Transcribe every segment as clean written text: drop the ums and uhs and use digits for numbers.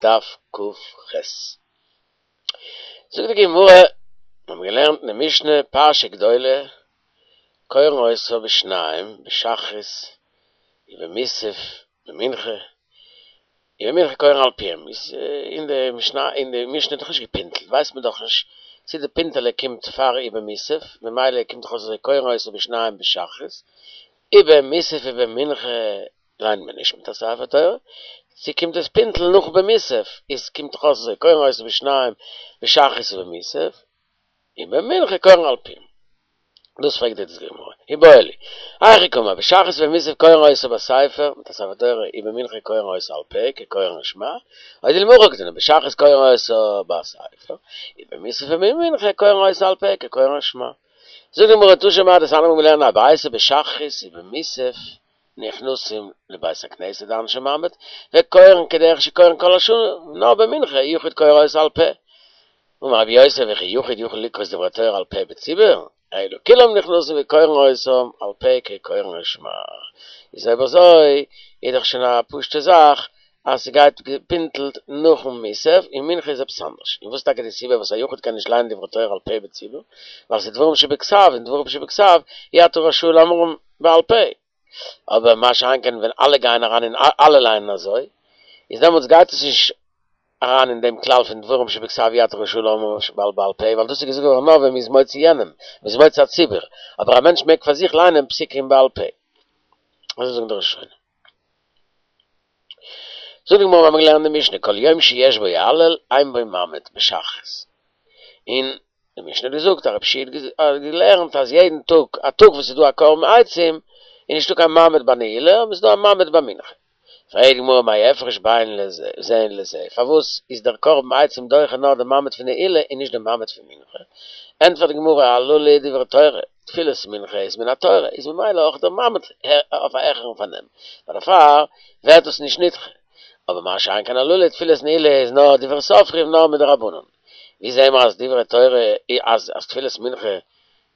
דף כ"ח. זאגט די גמרא, מיר האבן געלערנט אין די משנה פרשה גדולה, קורין אותה בשניים בשחרית ובמוסף במנחה, ובמנחה קורין על פיהם, איז אין די משנה אין די משנה איז דאך נישט געפינטלט ווייסט מען דאך נישט צו די פינטעלע קומט פאר ובמוסף, ממילא קומט דאך אויס אזוי קורין אותה בשניים בשחרית, ובמוסף ובמנחה ליינט מען נישט מיט א ספר תורה, צו קומט דאס פינטל נאך ובמוסף, איז קומט דאך אויס אזוי קורין אותה בשניים בשחרית ובמוסף, ובמנחה קורין על פיהם. דאס פרעגט די גמרא, איבעיא להו, היכי קאמר, בשחרית ובמוסף קורין אותה בספר, מיט א ספר תורה, ובמנחה קורין אותה על פה, כקורין שמע, או דילמא הכי קתני, בשחרית קורין אותה בספר, ובמוסף ובמנחה קורין אותה על פה, כקורין שמע. זאגט די גמרא תא שמע דתניא מיר האבן געלערנט א ברייתא בשחרית ובמוסף נכנסים לבית הכנסת די אנשי מעמד, וקורין כדרך שקורין כל השנה, נאר במנחה יחיד קורא אותה על פה. אמר רבי יוסי וכי יחיד יכול לקרות דברי תורה על פה בציבור, אלא כולם נכנסים וקורין אותם על פה כקורין שמע. איז אויב אזוי איז דאך שוין א פשוטע זאך אז ס'גייט געפינטלט נאכן מוסף, און מנחה איז עפעס אנדערש. און וואס איז טאקע די סיבה וואס א יחיד קען נישט לייענען דברי תורה על פה בציבור? ווייל ס'איז דברים שבכתב, און דברים שבכתב אי אתה רשאי לאומרם בעל פה. אבער מה שאין כן ווען אלע גייען אריין און אלע לייענען אזוי, איז דעמאלטס גייט עס נישט אריין אין דעם כלל פון דברים שבכתב אי אתה רשאי לאומרם בעל פה, ווייל דאס איז געזאגט געווארן נאר ווען מ'איז מוציא יענעם, מ'איז מוציא א ציבור, אבער א מענטש מעג פאר זיך לייענען פסוקים בעל פה. אזוי זאגן די ראשונים. זאגט די גמרא, מיר האבן געלערנט די משנה, כל יום שיש בו הלל, אין בו מעמד, בשחרית. און די משנה האט געזאגט אז רבי יהושע האט געלערנט אז יעדן טאג, א טאג וואס איז דא א קרבן עצים, איז נישטא קיין מעמד ביי נעילה, אבער עס איז דא א מעמד ביי מנחה. פרעגט די גמרא מאי הפרש בין זה לזה, פארוואס איז דער קרבן עצים דוחה נאר די מעמד פון נעילה און נישט די מעמד פון מנחה? ענטפערט די גמרא הללו דברי תורה, תפילת מנחה איז מן התורה, איז ממילא אויך דער מעמד אויף א העכערן פארנעם, דערפאר ווערט דאס נישט נדחה. אבער מה שאין כן הללו תפילת נעילה איז נאר דברי סופרים נאר מדרבנן. ווי זעהן מיר אז דברי תורה אז אז תפילת מנחה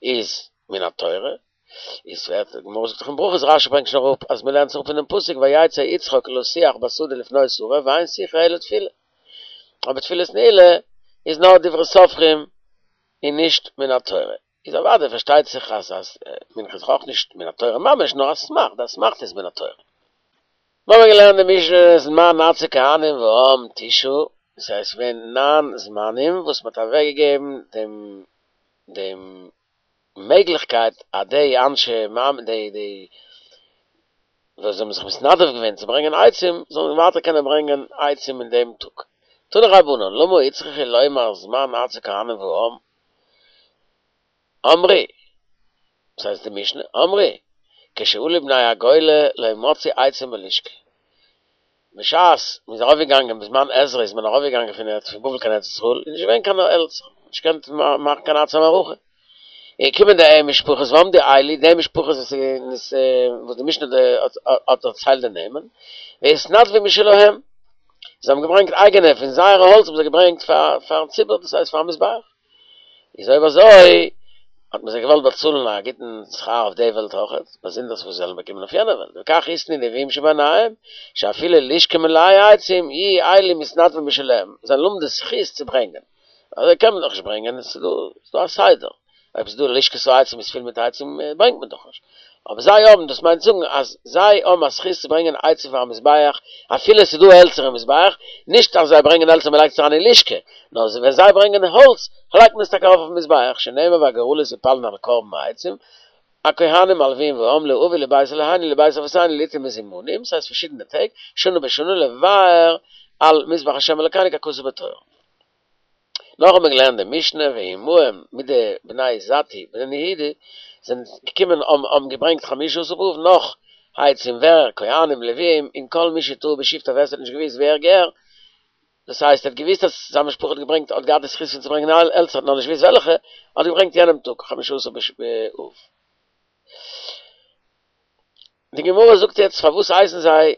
איז מן התורה? איז ווערט די גמרא זאגט דאך אין ברכות רשי ברענגט שוין אראפ אז מ'לערנט זיך אפ פונעם פסוק ויצא יצחק לשוח בשדה לפנות ערב ואין שיחה אלא תפילה. אבער תפילת נעילה איז נאר דברי סופרים און נישט מן התורה. איז אוודאי פארשטייט זיך אז אז מנחה איז אויך נישט מן התורה ממש נאר אסמכתא, די אסמכתא איז מן התורה. מיר האבן געלערנט די משנה זמן עצי כהנים והעם תשעה, דאס הייסט ס'געווען ניין זמנים וואס מ'האט אוועקגעגעבן דעם דעם מעגליכקייט אז די אנשי מעמד די די וואס האבן זיך מתנדב געווען צו ברענגען עצים זאלן ווייטער קענען ברענגען עצים אין דעם טאג. תנו רבנן למה הוצרכו לומר זמן עצי כהנים והעם? אמרו, דאס הייסט די משנה, אמרו, כשעלו בני הגולה לא מצאו עצים בלשכה. בשעת מען איז ארויפגעגאנגען בזמן עזרא איז מען ארויפגעגאנגען פון ארץ פון בבל קיין ארץ ישראל איז נישט געווען קיין העלצער, נישט געקענט מאכן קיין עצי מערכה. איז געקומען די משפחות ועמדו אלו, די משפחות וואס איז וואס די משנה האט דערציילט די נעמען, והתנדבו משלהם, זיי האבן געברענגט אייגענע פון זייערע האלץ האבן זיי געברענגט פאר פארן ציבור דאס הייסט פארן מזבח. איז אויב אזוי האט מען זיי געוואלט באצאלן א גוטן שכר אויף די וועלט אויכעט, באזונדערס וואס זיי זאלן באקומען אויף יענע וועלט, וכך התנו נביאים שביניהם, שאפילו לשכה מלאה עצים, יהיו אלו מתנדבים משלהם, זיי זאלן האבן די זכות צו ברענגען. אזוי קען מען דאך נישט ברענגען, עס איז דא א סדר, אויב ס'איז דא לשכת העצים איז פול מיט עצים ברענגט מען דאך נישט, אבער זיי האבן, דאס מיינט זאגן אז זיי האבן א זכות צו ברענגען עצים פארן מזבח אפילו עס איז דא העלצער אין מזבח, נישט אז זיי ברענגען העלצער מען לייגט עס אריין אין לשכה, נאר ווען זיי ברענגען האלץ לייגט מען עס טאקע ארויף אויפן מזבח, שנאמר והגורלות יפלון על קרבן העצים, הכהנים הלוויים והעם להביא לבית אלהינו לבית אבותינו לעתים מזומנים, ס'הייסט פארשידענע טעג, שנה בשנה לבאר על מזבח השם אלקינו ככתוב בתורה. נאך האט מען געלערנט די משנה ועמהם מיט די בני זתוא בני יהודה זענען געקומען האבן האבן געברענגט חמשה עשר באב נאך עצים ווער כהנים לוויים און כל מי שטעה בשבטו ווער עס האט נישט געוויסט ווער געהער דאס הייסט ער האט געוויסט אז זיין משפחה האט געברענגט האט געהאט די זכות פון צו ברענגען העלצער האט נאר נישט געוויסט וועלכע האט געברענגט יענעם טאג חמשה עשר באב. די גמרא זאגט יעצט פארוואס הייסן זיי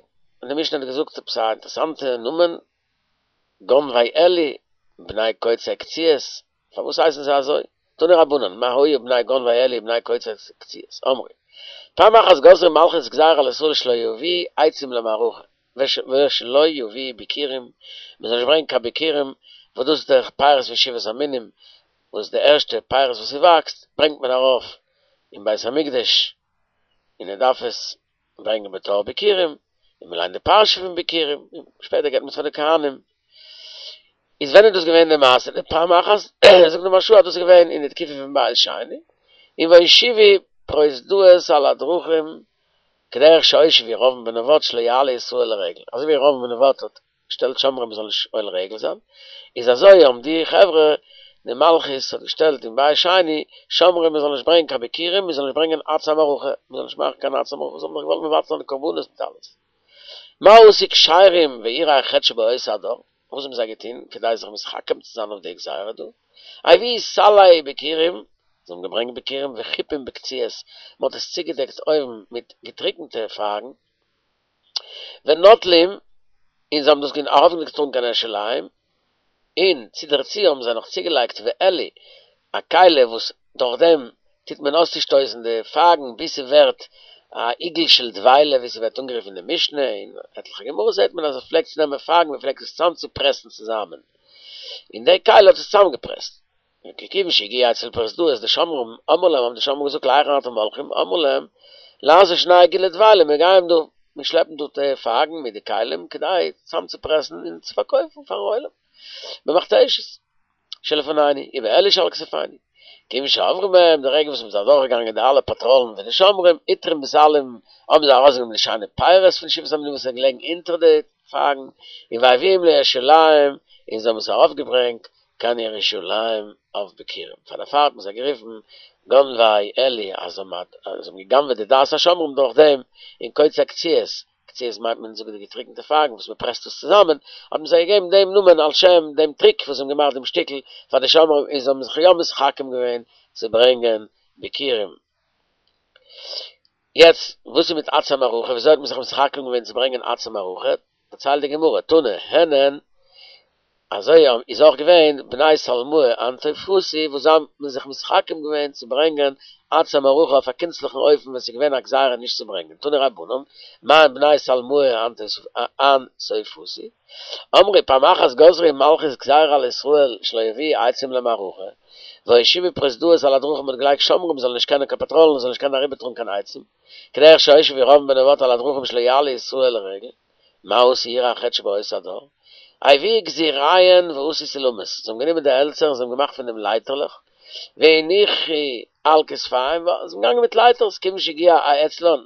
די משנה האט געזאגט עפעס א אינטערעסאנטע נאמען גונבי עלי, בני קוצי קציעות, פארוואס הייסן זיי אזוי? תנו רבנן, מה היו בני גונבי עלי ובני קוצי קציעות? אמרו, פעם אחת גזרה מלכות גזירה על ישראל שלא יביאו עצים למערכה. ושלא יביאו ביכורים, מען זאל נישט ברענגען קיין ביכורים, וואס דאס איז דאך פירות פון שבעת המינים, וואס די ערשטע פירות וואס ס'וואקסט ברענגט מען ארויף אין בית המקדש, און ער דארף עס ברענגען בתור ביכורים, און מען ליינט די פרשה פון ביכורים, און שפעטער געבט מען עס פאר די כהנים. איז ווען איז דאס געווען די מעשה? די פעם אחת, זאגט די מהרש"א אז דאס איז געווען אין די תקופה פון בית שני, און והושיבו פרוזדאות על הדרכים כדרך שהושיב ירבעם בן נבט שלא יעלה ישראל לרגל, אזוי ווי ירבעם בן נבט האט געשטעלט שומרים מ'זאל נישט עולה רגל זיין, איז אזוי האבן די חברה, די מלכות האט געשטעלט אין בית שני שומרים מ'זאל נישט ברענגען קיין ביכורים, מ'זאל נישט ברענגען עצי המערכה, מ'זאל נישט מאכן קיין עצי המערכה, זיי האבן דאך געוואלט מבטל זיין די קרבנות מיט אלעס. מה עשו כשרים ויראי החטא שבאותו הדור? וואס האבן זיי געטון כדי זיך מתחכם צו זיין אויף די גזירה דא? הביאו סלי ביכורים, זיי האבן געברענגט ביכורים וחיפום בקציעות, מען האט עס צוגעדעקט אויבן מיט געטריקענטע פייגן, ונוטלים, און זיי האבן דאס ארויפגעטראגן קיין ירושלים, און צו דערצו האבן זיי נאך צוגעלייגט ועלי, א כלי וואס דורך דעם טוט מען אויסצושטויסן די פייגן ביז ס'ווערט א עיגול של דבילה ווי ס'ווערט אנגערופן אין די משנה, אין עטליכע גמרות זעט מען אז עס פלעגט צו נעמען פייגן מען פלעגט עס צאמצופרעסן צוזאמען, און די כלי האט עס צוזאמגעפרעסט. וכיוון שהגיע אצל פרוזדאות די שומרים אמרו להם האבן די שומרים געזאגט להיכן אתם הולכים אמרו להם לעשות שני עיגולי דבילה מיר גייען דא מיר שלעפן דא די פייגן מיט די כלים כדי צוזאמצופרעסן און צו פארקויפן פארן עולם במכתשות שלפנינו ובעלי שעל כתפינו כיוון שעברו מהם די רגע וואס מ'איז אדורכגעגאנגען די אלע פאטראלן פון די שומרים עיטרום בסלים האבן זיי ארויסגענומען די שיינע פירות פון שבעת המינים וואס איז געלעגן אונטער די פייגן און והביאום לירושלים און זיי האבן עס ארויפגעברענגט קיין ירושלים אויף ביכורים, פאר דערפאר האט מען זיי גערופן גונבי עלי אז זיי האבן גע'גנב'עט די דעת השומרים דורך דעם, און קוצי קציעות, קציעות מיינט מען זאגן די געטריקענטע פייגן וואס מען פרעסט עס צוזאמען, האט מען זיי געגעבן דעם נאמען על שם דעם טריק וואס זיי האבן געמאכט דעם שטיקל פאר די שומרים און זיי האבן זיך יא מתחכם געווען צו ברענגען ביכורים. יעצט וואס איז מיט עצי מערכה, וויאזוי האט מען זיך מתחכם געווען צו ברענגען עצי מערכה, דערציילט די גמרא, תנא, הן הן, אזוי איז אויך געווען בני שלמאי אנטפוסי וואס זיי האבן זיך מתחכם געווען צו ברענגען עצי מערכה אויף א קונצליכן אופן ווען ס'איז געווען א גזירה נישט צו ברענגען, תנו רבנן, מאן בני שלמאי אנטפוסי, אמרי פעם אחת גזרה מלכות גזירה על ישראל שלא יביאו עצים למערכה, והושיבו פרוזדאות על הדרכים מ'האט געלייגט שומרים זאלן נישט קענען קיין פאטראלן זאלן נישט קענען אריבערטראגן קיין עצים, כדרך שהושיב ירבעם בן נבט על הדרכים שלא יעלה ישראל לרגל, מה עשו יראי החטא שבאותו הדור? הביאו גזיריהן ועשו סולמות, זיי האבן גענומען די העלצער און זיי האבן געמאכט פון דעם לייטערלעך, והניחו על כתפיהם, זיי זענען געגאנגען מיט לייטערס, כיוון שהגיע אצלן,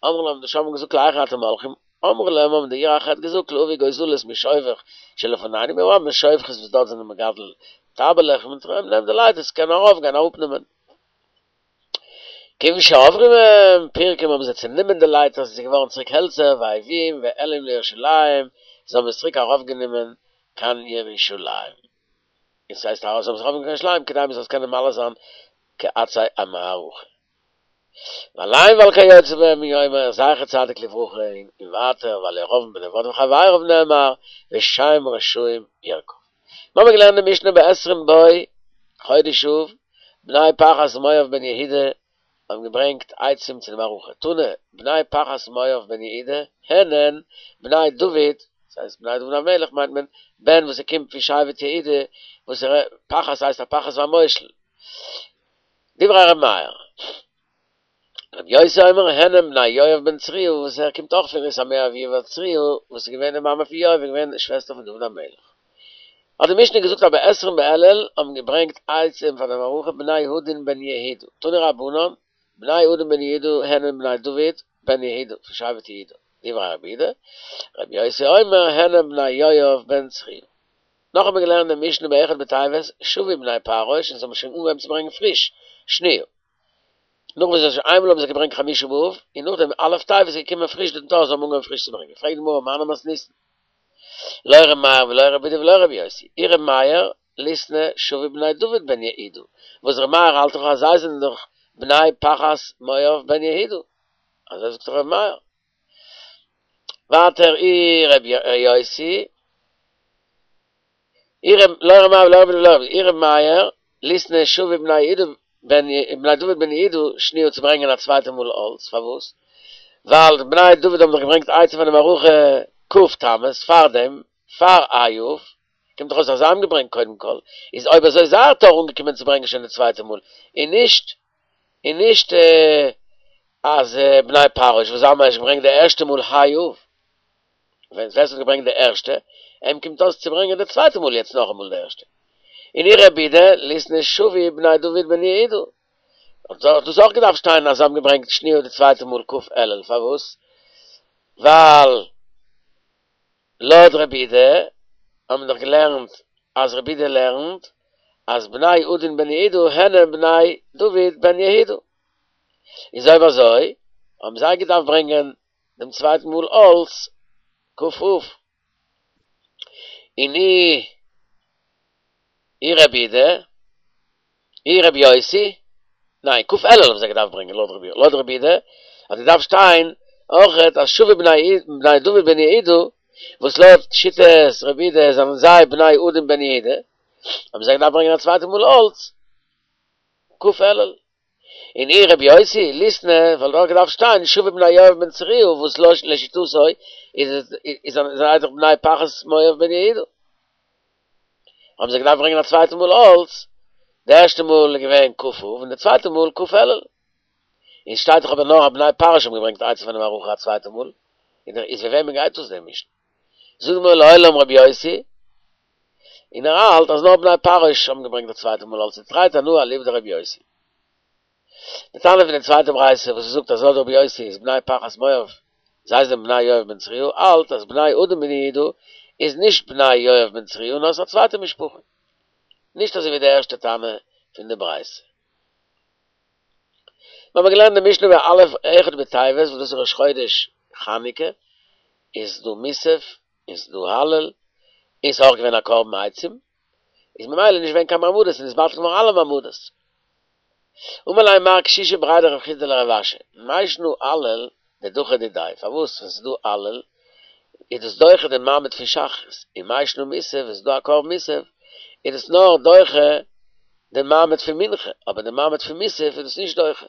אמרו להם, די שומרים האבן געזאגט להיכן אתם הולכים? אמרו להם האבן די יראי החטא געזאגט להביא גוזלות משובך שלפנינו, מיר האבן שובכות וואס דארט זענען מגדל טייבעלעך, נעם די לייטערס קען ארויף גיין אראפנעמען. כיוון שעברו מהם פירקום האבן זיי צענומען די לייטערס עס איז געווארן צוריק העלצער והביאום והעלום לירושלים זיי האבן עס צוריק ארויפגענומען קיין ירושלים און ס'הייסט אז זיי האבן עס ארויפגענומען קיין ירושלים כדי מ'זאל עס קענען מעלה זיין כעצי המערכה. ועליהם ועל כיוצא בהם הוא אומר זכר צדיק לברכה און ווייטער ועל ירבעם בן נבט וחבריו נאמר ושם רשעים ירקב. מיר האבן געלערנט די משנה בעשרים בו חודש אב, בני פחת מואב בן יהודה האבן געברענגט עצים צו די מערכה, תנא, בני פחת מואב בן יהודה, הן הן, בני דוד, דאס הייסט בני דוד המלך מיינט מען, בן וואס ער קומט פון שבט יהודה, וואס ער פחת הייסט הפחת והמושל. דברי ר' מאיר. רבי יוסי אומר הן הן בני יואב בן צרויה וואס ער קומט אויך פון רות המואביה ווייל צרויה וואס איז געווען די מאמע פון יואב איז געווען די שוועסטער פון דוד המלך. האט די משנה געזאגט אז בעשרים באלול האבן געברענגט עצים פאר די מערכה בני אדין בן יהודה תנו רבנן בני אדין בן יהודה הן הן בני דוד בן יהודה פון שבט יהודה דברי רבי יהודה רבי יוסי אומר הן הן בני יואב בן צרויה. נאך האט מען געלערנט די משנה באחד בטבת שבו בני פרעוש און זיי האבן שוין אנגעהויבן צו ברענגען פריש שניה. נאך וואס זיי איינמאל האבן זיי געברענגט חמשה באב, און נאכדעם א' טבת איז געקומען פריש די דור זיי האבן אנגעהויבן פריש צו ברענגען, פרעגט די גמרא מני מתניתין, לא ר' מאיר ולא ר' יהודה ולא ר' יוסי, אי ר' מאיר ליתני שבו בני דוד בן יהודה, וואס ר' מאיר האלט דאך אז זיי זענען דאך בני פחת מואב בן יהודה, אזוי זאגט דאך ר' מאיר. ווייטער אי ר' יוסי. אי ר' לא ר' מאיר ולא ר' יהודה ולא ר' אי ר' מאיר ליתני שבו בני יהודה בן בני דוד בן יהודה שניה צו ברענגען א צווייטע מאל האלץ פארוואס ווייל בני דוד האבן דאך געברענגט עצים פאר די מערכה. כ' תמוז פארדעם פאר ה' אב, קומט דאך אויס אז זיי האבן געברענגט קודם כל, איז אויב אזוי זייער תור אנגעקומען צו ברענגען שוין די צווייטע מאל, און נישט און נישט אז בני פרעוש וואס זיי האבן ערשט געברענגט די ערשטע מאל ה' אב, ווען ווער ס'האט געברענגט די ערשטע, אים קומט אויס צו ברענגען די צווייטע מאל יעצט נאכאמאל די ערשטע. און אי רבי יהודה ליתני שבי בני דוד בן יהוידע, האט דאס אויך געדארפט שטיין אז זיי האבן געברענגט שניה די צווייטע מאל כ' אלול, פארוואס? ווייל לויט רבי יהודה האבן מיר דאך געלערנט אז רבי יהודה לערנט אז בני עדין בן יהוידע הן בני דוד בן יהוידע, איז אויב אזוי האבן זיי געדארפט ברענגען דעם צווייטן מאל אלס כ' אב. און אי אי רבי יהודה, אי רבי יוסי, ניין, כ' אלול האבן זיי געדארפט ברענגען לויט רבי לויט רבי יהודה, האט געדארפט שטיין אויכעט אז שבי בני בני דוד בן יהוידע, וואס לויט שיטת רבי יהודה זענען זיי בני עדין בן יהוידע, האבן זיי געדארפט ברענגען א צווייטע מאל אלס כ' אלול. און אי רבי יוסי ליתני וואלט אויך געדארפט שטיין שבי בני יואב בן צרויה וואס לשיטתו איז איז זיי דאך בני פחת מואב בן יהוידע. האבן זיי געדארפט ברענגען א צווייטע מאל אלס, די ערשטע מאל איז געווען כ' אב און די צווייטע מאל כ' אלול. און שטייט דאך אבער נאר אז בני פרעוש האבן געברענגט עצים פאר די מערכה א צווייטע מאל, איז ווי וועמען גייט דאס די משנה? זאגט די גמרא לעולם רבי יוסי, און ער האלט אז נאר בני פרעוש האבן געברענגט די צווייטע מאל אלס תרי תנאי אליבא דרבי יוסי. די תנא פון די צווייטע ברייתא וואס עס זאגט אז לויט רבי יוסי איז בני פחת מואב זיי זענען בני יואב בן צרויה האלט אז בני עדין בן יהוידע איז נישט בני יואב בן צרויה נאר עס איז א צווייטע משפחה. נישט אזוי ווי די ערשטע תנא פון די ברייתא. מיר האבן געלערנט די משנה בא' אחד בטבת וואס דאס איז ראש חודש חנוכה, איז דא מוסף, איז דא הלל, און ס'איז אויך געווען א קרבן עצים, איז ממילא נישט געווען קיין מעמדות און איז בטל געווארן אלע מעמדות. אמר ליה מר קשישא בריה דרב חסדא לרב אשי, מאי שנא הלל דדחי דידיה, פארוואס ווען ס'איז דא הלל איז דאס דוחה די מעמד פון שחרית, און מאי שנא מוסף ווען ס'איז דא א קרבן מוסף איז דאס נאר דוחה די מעמד פון מנחה, אבער די מעמד פון מוסף איז דאס נישט דוחה.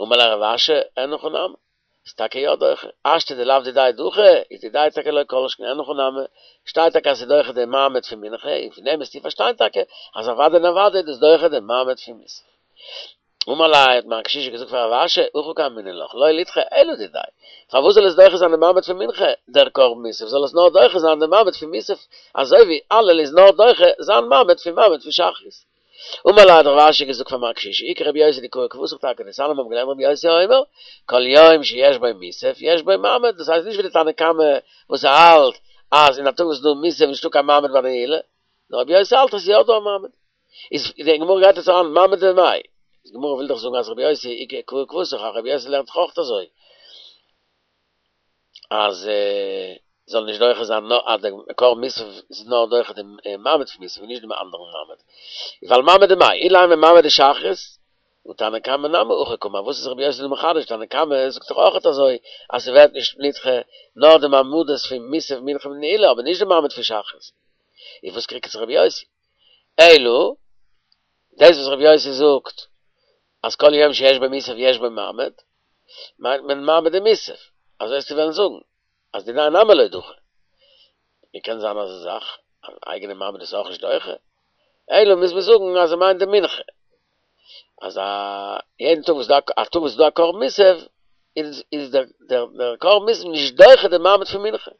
אמר ליה רב אשי, אין הכי נמי, איז טאקע יא דוחה, השתא דלאו דידיה דחי, איז דידיה טאקע לא כל שכן אין הכי נמי, שטייט טאקע אז ס'איז דוחה די מעמד פון מנחה, און פון דעם וועסטו פארשטיין טאקע אז אוודאי און אוודאי איז דאס דוחה די מעמד פון מוסף. אמר ליה האט מר קשישא געזאגט פאר רב אשי, הכי קאמינא לך, לא לידחי אלא דידיה, פארוואס זאל עס דוחה זיין די מעמד פון מנחה, דער קרבן מוסף, זאל עס נאר דוחה זיין די מעמד פון מוסף, אזוי ווי הלל איז נאר דוחה זיין מעמד פון מעמד פון שחרית. אמר ליה האט רב אשי געזאגט פאר מר קשישא, אי כרבי יוסי דקאי כוותיך טאקע דתניא מיר האבן געלערנט רבי יוסי אומר, כל יום שיש בו מוסף יש בו מעמד, דאס הייסט נישט ווי די תנא קמא וואס האלט אז אין א טאג וואס איז דא מוסף איז נישטא קיין מעמד ביי די נעילה, נאר רבי יוסי האלט אז ס'איז יא דא א מעמד. איז די גמרא גייט יעצט אריין מעמד דמאי, די גמרא וויל דאך זאגן אז רבי יוסי אי קאי כוותיך, רבי יוסי לערנט דאך אויך אזוי. אז זאל נישט דוחה זיין נאר אז דער קרבן מוסף איז נאר דוחה דעם מעמד פון מוסף און נישט דעם אנדערן מעמד. ווייל מעמד דמאי, אילימא מעמד דשחרית, הא תנא קמא נמי הכי קאמר, וואס איז רבי יוסי דא מחדש, תנא קמא זאגט דאך אויכעט אזוי אז ס'ווערט נישט נדחה נאר די מעמדות פון מוסף מנחה און נעילה אבער נישט די מעמד פון שחרית. איז וואס קריגט זיך רבי יוסי? אלא דאס וואס רבי יוסי זאגט אז כל יום שיש בו מוסף יש בו מעמד, מיינט מען מעמד דמוסף, אזוי וועסטו וועלן זאגן אז דידיה נמי לא דחי. ווי קען זיין אזא זאך אז אייגענע מעמד איז אויך נישט דוחה? אלא מוז מען זאגן אז ער מיינט די מנחה, אז א יעדן טאג וואס דא א טאג וואס איז דא א קרבן מוסף איז איז דער דער דער קרבן מוסף נישט דוחה די מעמד פון מנחה.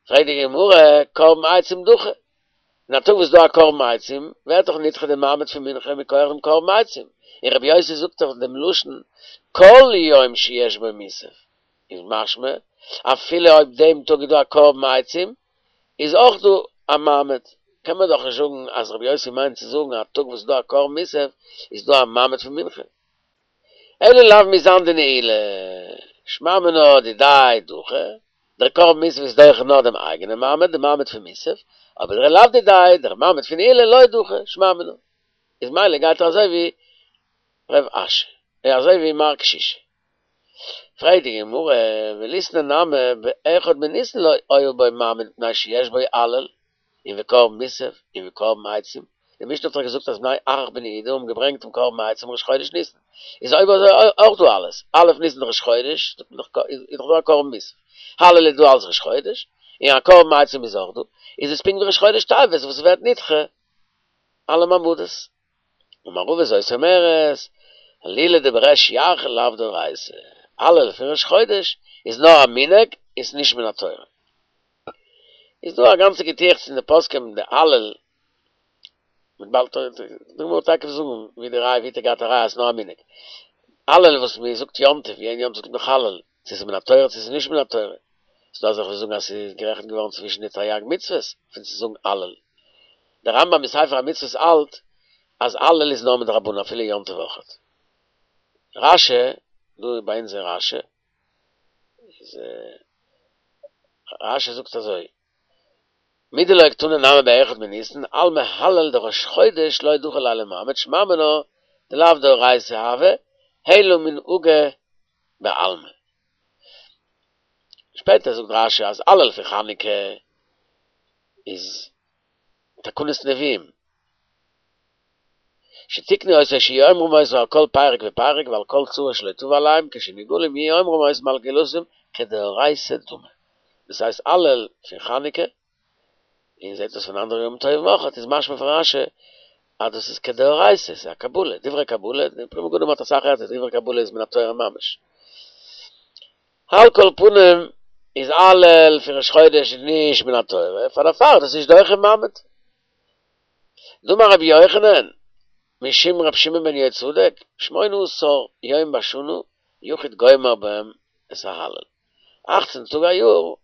פרעגט די גמרא, קרבן עצים דחי, אין א טאג וואס איז דא א קרבן עצים, ווערט דאך נדחה די מעמד פון מנחה מכח דעם קרבן עצים, און רבי יוסי זאגט דאך דעם לשון כל יום שיש בו מוסף, איז משמע אפילו אויב דעם טאג איז דא א קרבן עצים, איז אויך דא א מעמד, קען מען דאך נישט זאגן אז רבי יוסי מיינט צו זאגן א טאג וואס איז דא א קרבן מוסף איז דא א מעמד פון מנחה. אלא לאו מזן דנעילה, שמע מינה דידיה דחי, דער קרבן מוסף איז דוחה נאר דעם אייגענעם מעמד, די מעמד פון מוסף, אבער דער לאו דידיה, דער מעמד פון נעילה לא דחי, שמע מינה. איז מילא גייט ער אזוי ווי ר' אשי, אזוי ווי מר קשישא. פרעגט די גמרא, וליתני נמי באחד בניסן לא היה בו מעמד מפני שיש בו הלל, און וקרבן מוסף, און וקרבן עצים, די משנה האט דאך געזאגט אז בני אחח בן יהודה האבן געברענגט דעם קרבן עצים ראש חודש ניסן, איז אויב אזוי אויך דא אלעס, א' ניסן ראש חודש, איז דאך דא א קרבן מוסף. הלל איז דא אלס ראש חודש, און א קרבן עצים איז אויך דא, איז עס פונקט ווי ראש חודש טבת וואס ווערט נדחה אלע מעמדות. אמר רבא זאת אומרת, הלולא דבריש ירחא לאו דאורייתא, הלל פון ראש חודש איז נאר א מנהג, איז נישט מן התורה. איז דא א גאנצע געטועכץ אין די פוסקים די הלל מ'וועט באלד די גמרא תיכף זאגן ווי די ראיה ווי האט ער געהאט א ראיה אז ס'נאר א מנהג. הלל וואס מען זאגט יום טוב יעדן יום טוב זאגט מען הלל צו ס'איז מן התורה צו ס'איז נישט מן התורה. ס'דא אזעלכע וואס זאגן אז ס'איז גערעכנט געווארן צווישן די תריג מצוות פון צו זאגן הלל. דער רמב ם אין ספר המצוות האלט אז הלל איז נאר מדרבנן אפילו יום טוב אויכעט. רש י, דא ביי אונז אין רש י, איז רש י זאגט אזוי, מדלא קתני נמי באחד מניסן, אלמא הלל דראש חודש לא דחי ליה למעמד שמע מינה דלאו דאורייתא הוי, אלא מנהגא בעלמא. שפעטער זאגט רש י אז הלל פון חנוכה איז תקנת נביאים, שתיקנו אותו שיהיו אומרים אותו על כל פרק ופרק ועל כל צרה שלא תבא עליהם כשנגאלים יהיו אומרים אותם על גאולתם כדאורייתא דמי. דאס הייסט הלל פון חנוכה, און זעט אויס פון אנדערע ימים טובים אויך, איז משמע פון רש י אז דאס איז כדאורייתא, ס'איז א קבלה, דברי קבלה, די פרי מגדים האט אסאך ערטער, דברי קבלה איז מן התורה ממש. על כל פנים איז הלל פון ראש חודש נישט מן התורה, פאר דערפאר איז דאס נישט דוחה מעמד. דאמר רבי יוחנן משום רבי שמעון בן יהוצדק, שמונה עשר יום בשנה יחיד גומר בהם את ההלל. אכצן טאג א יאר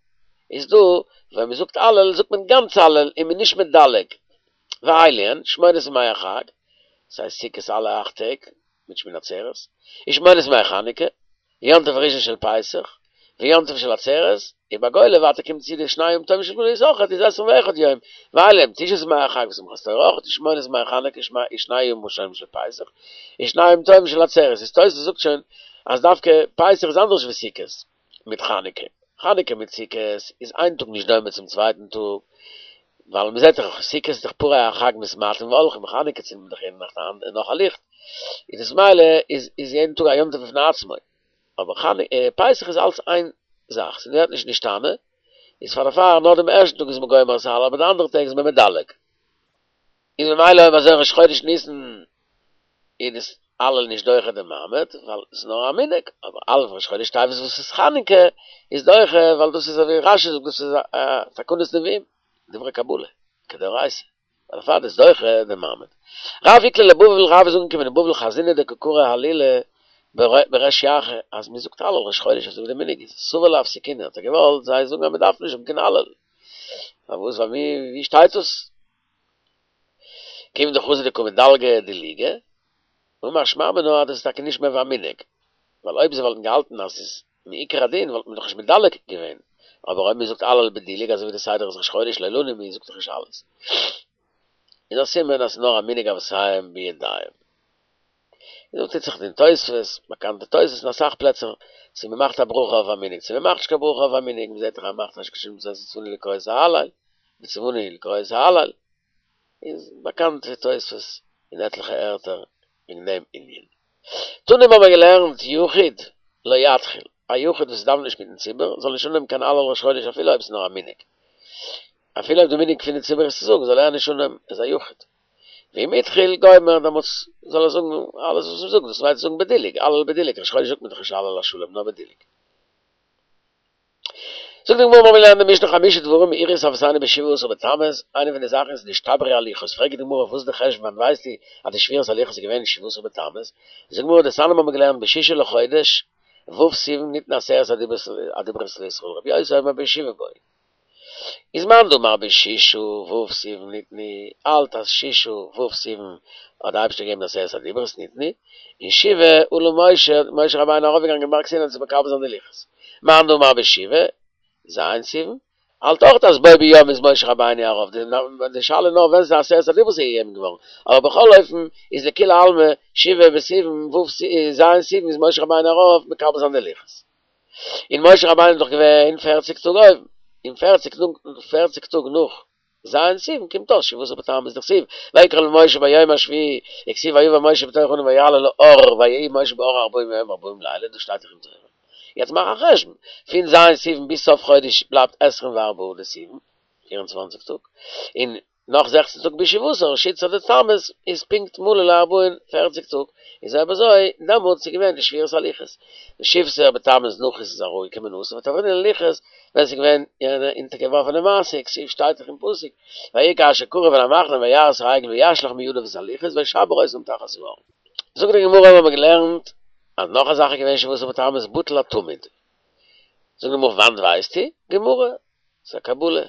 איז דא ווען מען זאגט הלל זאגט מען גאנץ הלל און מען איז נישט מדלג. ואלו הן, שמונת ימי החג, דאס הייסט סוכות אלע אכט טעג מיט שמיני עצרת, ושמונת ימי חנוכה, ויום טוב הראשון של פסח, ויום טוב של עצרת, ובגולה ווייטער קומט צו די שני ימים טובים של גלות אויכעט איז עשרים ואחד יום, ואלו הן תשעת ימי החג ושמחת תורה אויכעט ושמונת ימי חנוכה ושני ימים ראשונים של פסח, ושני ימים טובים של עצרת, איז תוס' זאגט שוין אז דווקא פסח איז אנדערש ווי סוכות מיט חנוכה, חנוכה מיט סוכות איז איין טאג נישט דומה צום צווייטן טאג, ווייל מען זעט דאך סוכות איז דאך פרי החג מתמעטין והולכין, חנוכה צינדט מען דאך יעדע נאכט נאך א ליכט, איז דאס ממילא איז איז יעדן טאג א יום טוב בפני עצמו, אבער פסח איז אלץ איין זאך, ס'ווערט נישט נשתנה, איז פאר דערפאר נאר דעם ערשטן טאג איז מען גומר את ההלל אבער די אנדערע טעג איז מען מדלג. איז ממילא אויב אזוי ראש חודש ניסן איז דאס הלל נישט דוחה דעם מעמד ווייל עס איז נאר א מנהג, אבער הלל ראש חודש טבת וואס איז חנוכה איז דוחה ווייל דאס איז אזוי ווי רשי זאגט דאס איז א תקנת נביאים, דברי קבלה, כדאורייתא, דערפאר איז דוחה דעם מעמד. רב איקלע לבבל רב איז אנגעקומען אין בבל חזינהו דקא קרו הלולא בריש ירחא אז מען זאגט הלל ראש חודש אזוי ווי די מנהג איז, סבר לאפסוקינהו האט ער געוואלט זיי זאגן אז מען דארף נישט זאגן קיין הלל, פארוואס ווייל ווי שטייט דאס? כיון דחזו דקא מדלגי דילוגא, אמר שמע מינה אז דאס איז טאקע נישט מער ווי א מנהג, ווייל אויב זיי וואלטן געהאלטן אז ס'איז מעיקר הדין וואלט מען דאך נישט מדלג געווען, אבער אויב מען זאגט הלל בדילוג אזוי ווי די סדר איז ראש חודש לא לנו מען זאגט דאך נישט אלעס, איז א סימן אז ס'איז נאר א מנהג אבותיהם בידיהם. און דא טוט זיך אין תוספות, באקאנטע תוספות אין אסאך פלעצער, צו מען מאכט א ברכה אויף א מנהג, צו מען מאכט נישט קיין ברכה אויף א מנהג, מען זעט דאך אז מען מאכט נישט קיין שום וצונו לקרוא את ההלל, וצונו לקרוא את ההלל, איז באקאנט די תוספות אין עטליכע ערטער וועגן דעם ענין. תנא האבן מיר געלערנט יחיד לא יתחיל, א יחיד וואס דאווענט נישט מיטן ציבור זאל נישט אנהויבן קיין הלל ראש חודש אפילו אויב ס'איז נאר א מנהג, אפילו אויב די מנהג פון די ציבור איז צו זאגן זאל ער נישט אנהויבן, ער איז א יחיד. ואם התחיל גומר דעמאלטס זאל ער זאגן אלעס וואס מ'זאגט, דאס מיינט זאגן בדילוג, הלל בדילוג, ראש חודש זאגט מען דאך נישט הלל השלם נאר בדילוג. זאגט די גמרא מיר האבן געלערנט אין די משנה חמשה דברים אירעו את אבותינו בשבעה עשר בתמוז, איינע פון די זאכן איז נשתברו הלוחות, פרעגט די גמרא וואס איז די חשבון וואנען ווייסטו אז די שבירת הלוחות איז געווען שבעה עשר בתמוז, זאגט די גמרא דתניא מיר האבן געלערנט בשישה לחודש ו' סיוון ניתנו עשרת הדיברות לישראל רבי יוסי אומר בשבעה בו. איז מאן דאמר בשישה ו' סיוון ניתנו, האלט אז שישה ו' סיוון האט די אייבערשטער געגעבן די עשרת הדיברות ניתנו, און שבעה עלה משה, האט משה רבינו ארויפגעגאנגען בארג סיני צו מקבל זיין די לוחות. מאן דאמר בשבעה ז' סיוון, האלט אויך אז בו ביום איז משה רבינו ארויף, די שאלה איז נאר ווען ס'איז עשרת הדיברות איז געגעבן געווארן, אבער בכל אופן איז לכולי עלמא שבעה בסיוון ו' ז' סיוון איז משה רבינו ארויף מקבל זיין די לוחות. און משה רבינו איז דאך געווען פערציג טאג אויבן, און פערציג פערציג טאג נאך ז' סיוון קומט אויס שבעה עשר בתמוז דכתיב ויקרא למשה ביום השביעי וכתיב ויבא משה בתוך הענן ויעל אל ההר ויהי משה בהר ארבעים יום וארבעים לילה דאס שטייט דאך אין תורה. יעצט מאך א חשבון, פון ז' סיוון ביז סוף חודש בלייבט עשרים וארבעה דסיוון, 24 טאג, און נאך זעכצן טאג ביז שבעה עשר, שיתסר דתמוז איז פונקט מלא לארבעין פערציג טאג, איז אויב אזוי דעמאלטס איז געווען די שבירת הלוחות, ושבסר בתמוז נחית איז אראפגעקומען אתא ותברינהו ללוחות, ווען ס'איז געווען יענע אונטערגעווארפענע מעשה, כתיב שטייט דאך אין פסוק, ויהי כאשר קרב אל המחנה וירא את העגל וישלך מידיו את הלוחות וישבר אותם תחת ההר. זאגט די גמרא האבן מיר געלערנט אז נאך א זאך איז געווען שבעה עשר בתמוז בטל התמיד, זאגט די גמרא וואנעט ווייסטו? גמרא, ס'איז א קבלה.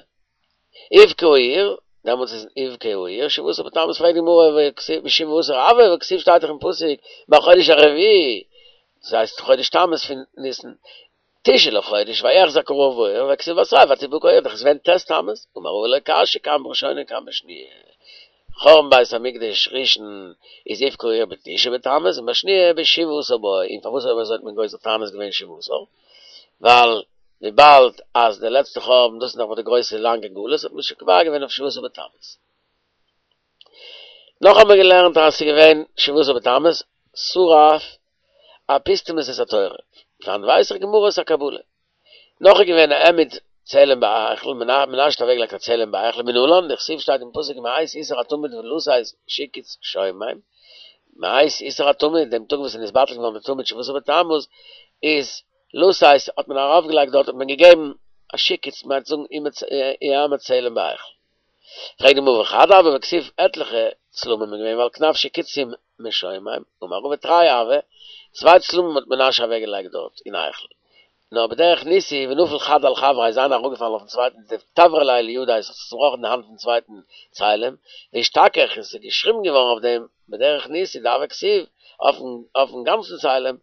אבקע האייר, דעמאלטס איז אבקע האייר, שבעה עשר בתמוז פרעגט די גמרא ושבעה עשר הוי והכתיב שטייט דאך אין פסוק בחודש הרביעי, דאס הייסט חודש תמוז פון ניסן, תשעה לחודש ויחזק הרעב בעיר והכתיב בתריה ותבקע העיר, דאך איז געווען ט' תמוז, אמר רבא לא קשיא כאן בראשונה כאן בשניה, חורבן בית המקדש ראשון איז אבקע האייר בתשעה בתמוז און בשניה בשבעה עשר בו, און פארוואס אויב אזוי האט מען גוזר תענית געווען שבעה עשר? ווייל וויבאלד אז די לעצטע חורבן דאס איז נאך ביי די גרויסע לאנגע גלות האט מען שוין קובע געווען אויף שבעה עשר בתמוז. נאך האבן מיר געלערנט אז ס'איז געווען שבעה עשר בתמוז שרף אפוסטמוס את התורה, פון וואנעט ווייס איך גמרא ס'איז א קבלה. נאך איז געווען העמיד צלם בהיכל, מנשה האט אוועקגעלייגט א צלם בהיכל מנלן, דכתיב שטייט אין פסוק מעת איסור התמיד ולתת שקוץ שומם, מעת איסור התמיד, דעם טאג וואס איז נתבטל געווארן די תמיד שבעה עשר בתמוז, איז לתת האט מען ארויפגעלייגט דארט האט מען געגעבן א שקוץ מיינט זאגן העמד צלם בהיכל. פרעגט די גמרא וחד הוה והכתיב עטליכע צלמים איז געווען ועל כנף שקוצים משומם, אמר רבא תרי הוו, צוויי צלמים האט מנשה אוועקגעלייגט דארט אין היכל, נאר בדרך ניסי ונפל חד על חבריה איז איינער אראפגעפאלן אויפן צווייטן דתברא ליה לידיה עס האט זיך צובראכן די האנט פון צווייטן צלם, ואשתכח און ס'איז געשריבן געווארן אויף דעם בדרך ניסי דהוה כתיב אויפן גאנצן צלם,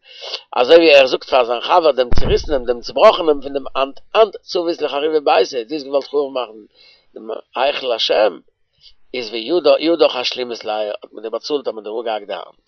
אזוי ווי ער זאגט פאר זיין חבר דעם צוריסענעם דעם צובראכענעם פון דעם האנט אנת צבית לחרובי ביתא, דו האסט געוואלט חרוב מאכן דעם היכל השם, איז וידך אשלימית ליה האט מען דיר באצאלט האט מען דיר אפגעהאקט די האנט.